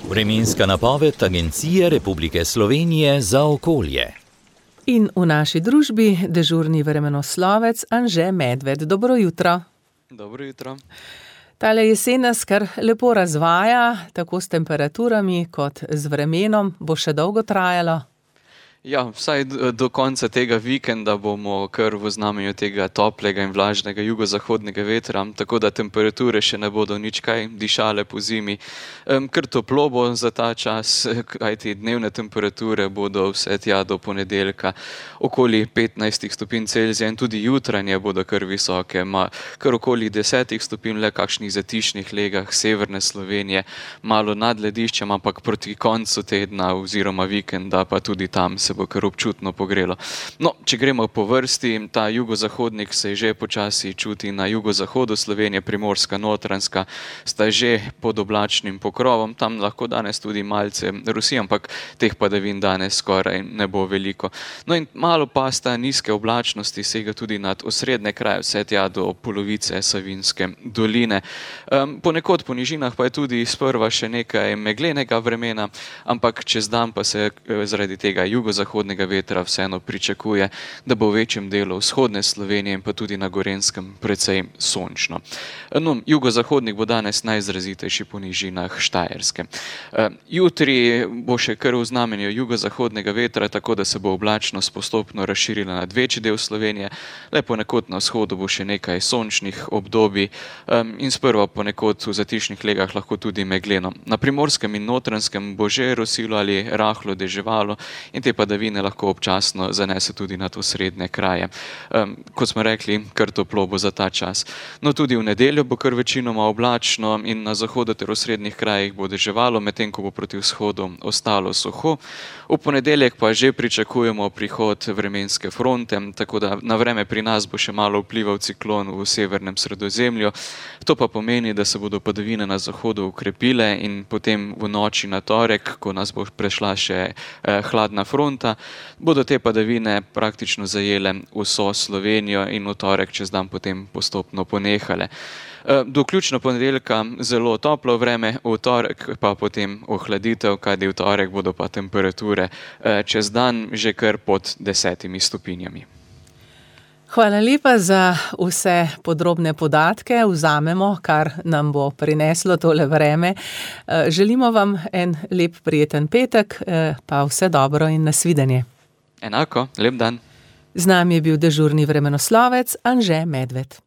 Vremenska napoved Agencije Republike Slovenije za okolje. In v naši družbi dežurni vremenoslovec Anže Medved. Dobro jutro. Dobro jutro. Tale jesen nas kar lepo razvaja, tako s temperaturami kot z vremenom. Bo še dolgo trajalo? Ja, vsaj do konca tega vikenda bomo kar v znamenju tega toplega in vlažnega jugozahodnega vetra, tako da temperature še ne bodo nič kaj dišale po zimi. Kar toplo bo za ta čas, kajti dnevne temperature bodo vse tja do ponedeljka okoli 15 stopinj Celzija in tudi jutranje bodo kar visoke, kar okoli 10 stopinj, le kakšnih zatišnih legah severne Slovenije, malo nad lediščem, ampak proti koncu tedna oziroma vikenda pa tudi tam se bo kar občutno pogrelo. No, če gremo po vrsti, ta jugozahodnik se že počasi čuti na jugozahodu Slovenije, Primorska, Notranjska sta že pod oblačnim pokrovom, tam lahko danes tudi malce rosi, ampak teh padavin danes skoraj ne bo veliko. No in malo pa sta nizke oblačnosti sega tudi nad osrednje kraje, vse tja do polovice Savinjske doline. Ponekod po nižinah pa je tudi sprva še nekaj meglenega vremena, ampak čez dan pa se zaradi tega jugozahodnega vetra vseeno pričakuje, da bo v večjem delu vzhodne Slovenije in pa tudi na Gorenjskem precej sončno. No, jugozahodnik bo danes najizrazitejši po nižinah Štajerske. Jutri bo še kar v znamenju jugozahodnega vetra, tako da se bo oblačnost postopno razširila nad večji del Slovenije, le ponekod na vzhodu bo še nekaj sončnih obdobij in sprva ponekod v zatišnih legah lahko tudi megleno. Na Primorskem in Notranjskem bo že rosilo ali rahlo deževalo in te padavine lahko občasno zanese tudi nad osrednje kraje. Kot smo rekli, kar toplo bo za ta čas. No, tudi v nedeljo bo kar večinoma oblačno in na zahodu ter osrednjih krajih bo deževalo, medtem ko bo proti vzhodu ostalo suho. V ponedeljek pa že pričakujemo prihod vremenske fronte, tako da na vreme pri nas bo še malo vplival ciklon v severnem Sredozemlju. To pa pomeni, da se bodo padavine na zahodu ukrepile in potem v noči na torek, ko nas bo prešla še hladna fronta, bodo te padavine praktično zajele vso Slovenijo in v torek čez dan potem postopno ponehale. Do vključno ponedeljka zelo toplo vreme, v torek pa potem ohladitev, kajti v torek bodo pa temperature čez dan že kar pod 10 stopinjami. Hvala lepa za vse podrobne podatke. Vzamemo, kar nam bo prineslo tole vreme. Želimo vam en lep, prijeten petek, pa vse dobro in nasvidenje. Enako, lep dan. Z nami je bil dežurni vremenoslovec Anže Medved.